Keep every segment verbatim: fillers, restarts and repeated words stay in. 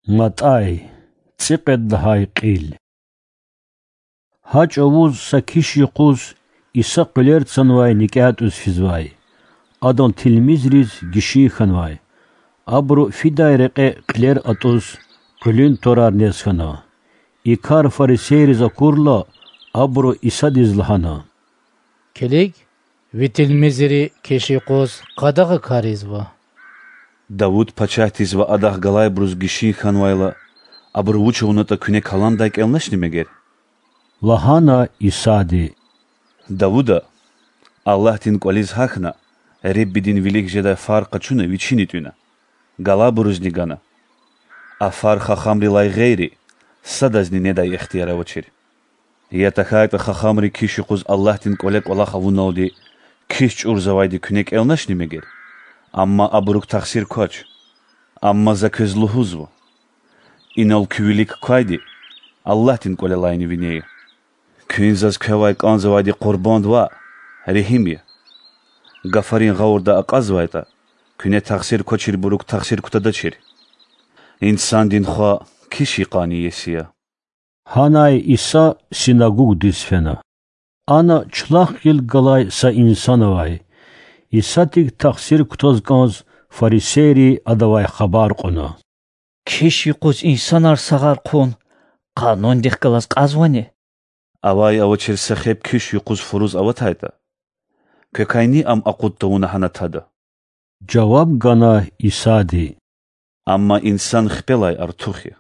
МатӀай, цӀикьвед лагьай кьил. Гьа чӀавуз са киш юкъуз Иса къуьлер цанвай никӀе тӀуз физвай. Адан тилмизриз гишин хьанвай. Абуру фидай рекье кьилер атӀуз къуьлуьн тӀварар нез хьана. И кар фарисейриз акурла, абуру Исадиз лагьана: Килиг, ви тилмизри киш юкъуз къадагъа кар ийизва. Давуд пачагьдиз ва адахъ галайбуруз гишин хьанвайла, абуру вуч авунатӀа куьне каландай кӀелначни мегер? лагьана Исади. Давуда Аллагьдин кӀвализ гьахьна, Реббидин вилик жедай фар къачуна вичини тӀуьна, галайбурузни гана. А фар хахамрилай гъейри садазни недай ихтияр авачир. Я тахьайтӀа хахамри киш юкъуз Аллагьдин кӀвале кӀвалах авуналди киш чӀурзавайди куьне кӀелначни мегер? Амма абурук тахсир квач. Амма За квез лугьузва: инал куь вилик квайди Аллагьдин кӀвалелайни вине я. Куьн Заз квевай кӀанзавайди къурбанд ваъ, регьим я. Гафарин гъавурда акьазвайтӀа, куьне тахсир квачирбурук тахсир кутадачир. Инсандин Хва киш йикъанни иеси я. Гьанай Иса синагугдиз фена. Ана чулахъ гъил галай са инсан авай. Исадик тахсир кутаз кӀанз фарисейри Адавай хабар кьуна: Киш юкъуз инсанар сагъар хъун къанундихъ галаз кьазвани? Авай-авачир са хеб киш юкъуз фуруз аватайтӀа, квекайни ам акъуд тавуна гьана тада,– жаваб гана Исади. Амма инсан хпелай артух я.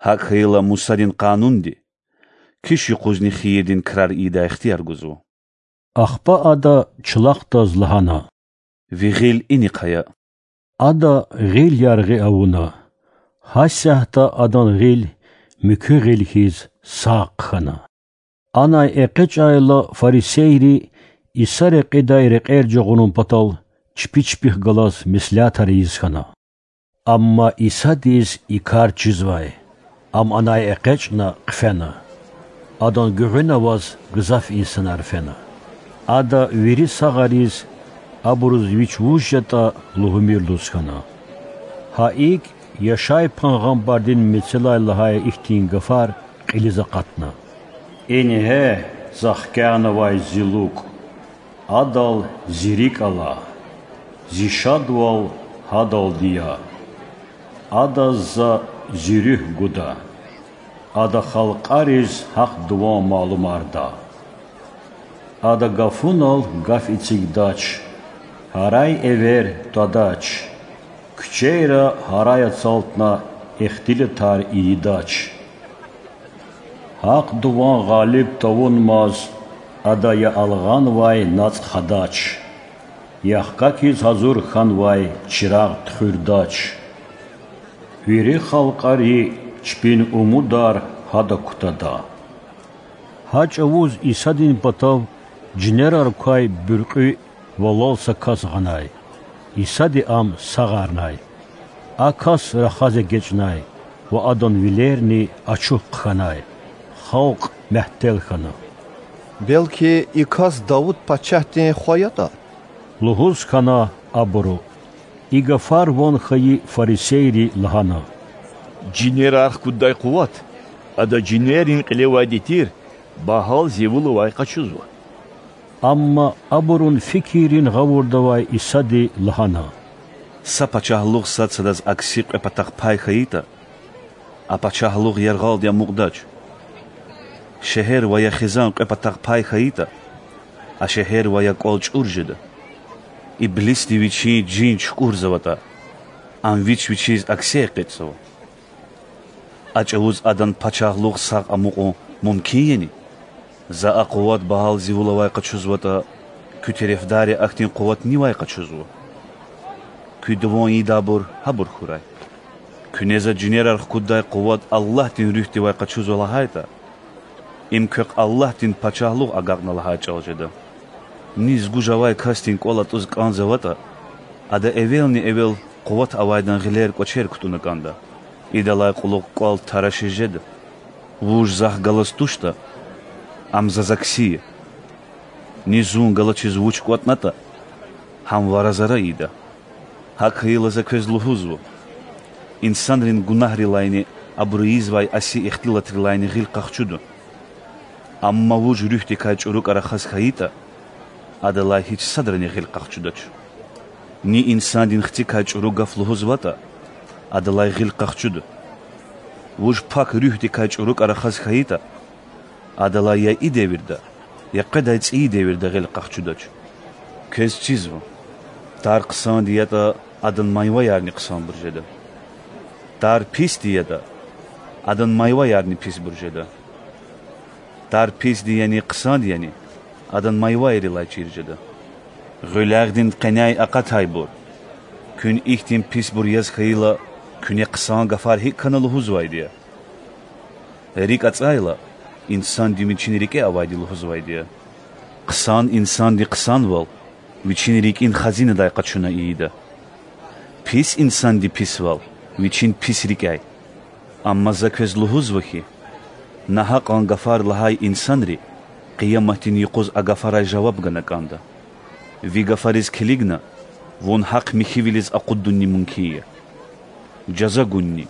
ГьакӀ хьайила Мусадин Къанунди киш юкъузни хийирдин крар ийидай ихтияр гузва. Ахпа Ада чулахдаз лагьана: Ви гъил инихъ ая. Ада гъил яргъи авуна. Гьасятда адан гъил муькуь гъил хьиз сагъ хъхьана. Анай экъечӀайла, фарисейри Иса рекьидай рекьер жагъурун патал чпи чпихъ галаз меслятар ийиз хьана. Амма Исадиз и кар чизвай. Ам анай экъечӀна хъфена. Адан гуьгъуьна аваз гзаф инсанар фена. Ада вири сагъариз, абуруз вич вуж ятӀа, лугьумир лугьуз хьана. Гьа икӀ, Яшай пайгъамбардин мецелай лагьай ихьтин гафар кьилиз акъатна: Ингье, За хкягънавай Зи лукӀ, Адал Зи рикӀ ала, Зи шадвал Гьадалди я. Адаз За Зи Руьгь гуда. Ада халкьариз Гьахъ дуван малумарда. Ада гафунал гаф эцигдач, гьарай-эвер твадач, куьчейра гьарай ацалтна ихтилатар ийидач. Гьахъ дуван гъалиб тавунмаз Ада я алгъанвай нацӀ хадач, я хкахьиз гьазур хьанвай чирагъ туьхуьрдач. Вири халкьари чпин умудар Гьада кутада. Гьа чӀавуз Исадин патав жинерар квай буьркьуь валал са кас гъанай. Исади ам сагъарнай. А кас рахаз эгечӀнай ва адан вилерни ачух хъхьанай. Халкь мягьтел хьана. Белки и кас Давуд пачагьдин хва ятӀа? лугьуз хьана абуру. И гафар ван хьайи фарисейри лагьана: Жинерар хкуддай къуват Ада жинеррин кьилевайди тир Багьалзевулавай къачузва. Амма абурун фикиррин гъавурда авай Исади лагьана: Са пачагьлугъ сад садаз акси кьве патахъ пай хьайитӀа, а пачагьлугъ яргъалди амукьдач. Шегьер ва я хизан кьве патахъ пай хьайитӀа, а шегьер ва я кӀвал чӀур жеда. Иблисди вичин жин чукӀурзаватӀа, ам вич-вичиз акси экъечӀзава. А чӀавуз адан пачагьлугъ сагъ амукьун мумкин яни? За а къуват Багьалзевулавай къачузватӀа, куь терефдарри ахьтин къуват нивай къачузва? Куьн дуван ийидайбур гьабур хьурай. Куьне За жинерар хкуддай къуват Аллагьдин Руьгьдивай къачузва лагьайтӀа, им квехъ Аллагьдин Пачагьлугъ агакьна лагьай чӀал жеда. Низ гуж авай касдин кӀвал атӀуз кӀанзаватӀа, ада эвелни-эвел къуват авайдан гъилер-кӀвачер кутӀунна кӀанда. Идалай кьулухъ кӀвал тарашиз жеда. Вуж Захъ галаз туштӀа, ам Заз акси я. Низ Зун галачиз вуч кӀватӀнатӀа, гьам Вара Зара ийида. ГьакӀ хьайила За квез лугьузва: Инсанрин гунагьрилайни абуру ийизвай аси ихтилатрилайни гъил къахчуда. Амма вуж руьгьдикай чӀурукӀа рахаз хьайитӀа, адалай гьич садрани гъил къахчудач. Ни инсандин хцикай чӀуру гаф лугьузватӀа, адалай гъил къахчуда. Вуж пак руьгьдикай чӀурукӀа рахаз хьайитӀа, адалай я и девирда, я къведай цӀийи девирда гъил къахчудач. Квез чизва: тар хъсанди ятӀа, адан майваярни хъсанбур жеда. Тар писди ятӀа, адан майваярни писбур жеда. Тар писди яни хъсанди яни, адан майвайрилай чир жеда. Гъуьлягъдин къеняй акъатайбур! Куьн ихьтин писбур яз хьайила, куьне хъсан гафар гьикӀ хьана лугьузвайди я? РикӀ ацӀайла, инсанди вичин рикӀе авайди лугьузвайди я. Хъсан инсанди хъсанвал вичин рикӀин хазинадай къачуна ийида. Пис инсанди писвал вичин пис рикӀяй. Амма За квез лугьузва хьи, нагьакьан гафар лагьай инсанри Къияматдин юкъуз а гафарай жаваб гана кӀанда. Ви гафариз килигна, вун гьахъ михьивилиз акъуддунни мумкин я. Жаза гунни.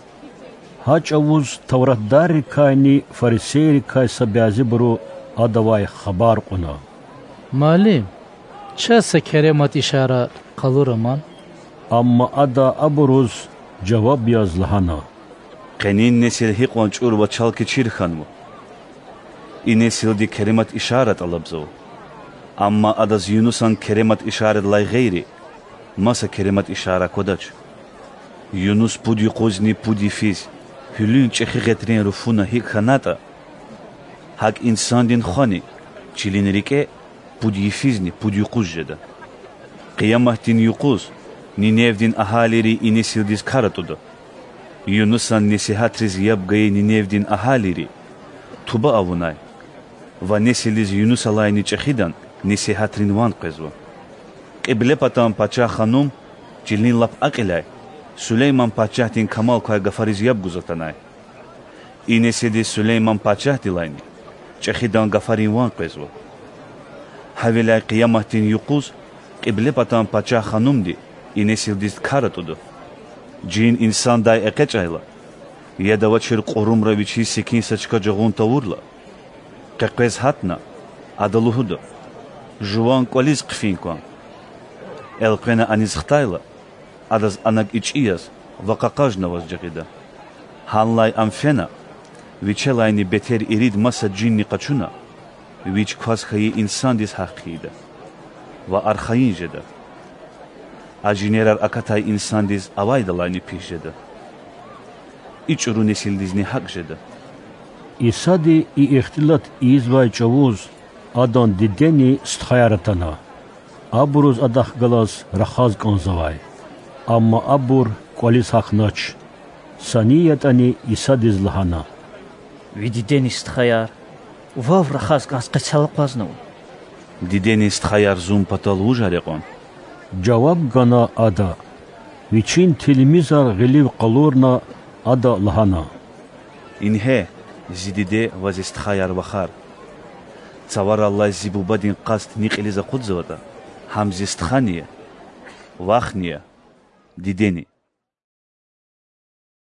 Гьа чӀавуз тавратдаррикайни фарисейрикай са бязибуру Адавай хабар кьуна: Муаллим, чаз са керемат ишара къалура ман. Амма Ада абуруз жаваб яз лагьана: Къенин несил гьикьван чӀуру ва чалкичир хьанва! И несилди керемат ишара тӀалабзава. Амма адаз Юнусан керемат ишарадилай гъейри маса керемат ишара аквадач. Юнус пуд юкъузни пуд йифиз гьуьлуьн чӀехи гъетрен руфуна гьикӀ хьанатӀа, гьакӀ инсандин хвани чилин рикӀе пуд йифизни пуд юкъуз жеда. Къияматдин юкъуз Ниневдин агьалийри и несилдиз кар атӀуда. Юнусан несигьатриз яб гайи Ниневдин агьалийри туба авунай ва несилдиз Юнусалайни чӀехидан несигьатрин ван къвезва. Кьиблепатан пачагь-ханум чилин лап акьиляй Сулейман пачагьдин камал квай гафариз яб гуз атанай. И несилдиз Сулейман пачагьдилайни чӀехидан гафарин ван къвезва. Гьавиляй Къияматдин юкъуз Кьиблепатан пачагь-ханумди и несилдиз кар атӀуда. Жин инсандай экъечӀайла, яд авачир кьурумра вичиз секин са чка жагъун тавурла, къекъвез гьатна, ада лугьуда: Жуван кӀвализ хъфин кван. Элкъвена аниз хтайла, адаз ана ичӀи яз ва къакъажнаваз жагъида. Гьанлай ам фена, вичелайни бетер ирид маса жинни къачуна, вич кваз хьайи инсандиз гьахъ хъийида ва архайин жеда. А жинерар акатай инсандиз авайдалайни пис жеда. И чӀуру несилдизни гьакӀ жеда. Исади и ихтилат ийизвай чӀавуз Адан дидени стхаяр атана. Абуруз Адахъ галаз рахаз кӀанзавай. Амма абур кӀвализ гьахьнач. Са ни ятӀани Исадиз лагьана: Ви дидени стхаяр вав рахаз кӀанз къецел акъвазнава. Дидени стхаяр Зун патал вужар я кьван? жаваб гана Ада. Вичин тилмизар гъилив къалурна, Ада лагьана: Ингье, Зи диде ва Зи стхаяр-вахар! Цавараллай Зи Бубадин къаст ни кьилиз акъудзаватӀа, гьам Зи стхани я, вахни я, дидени.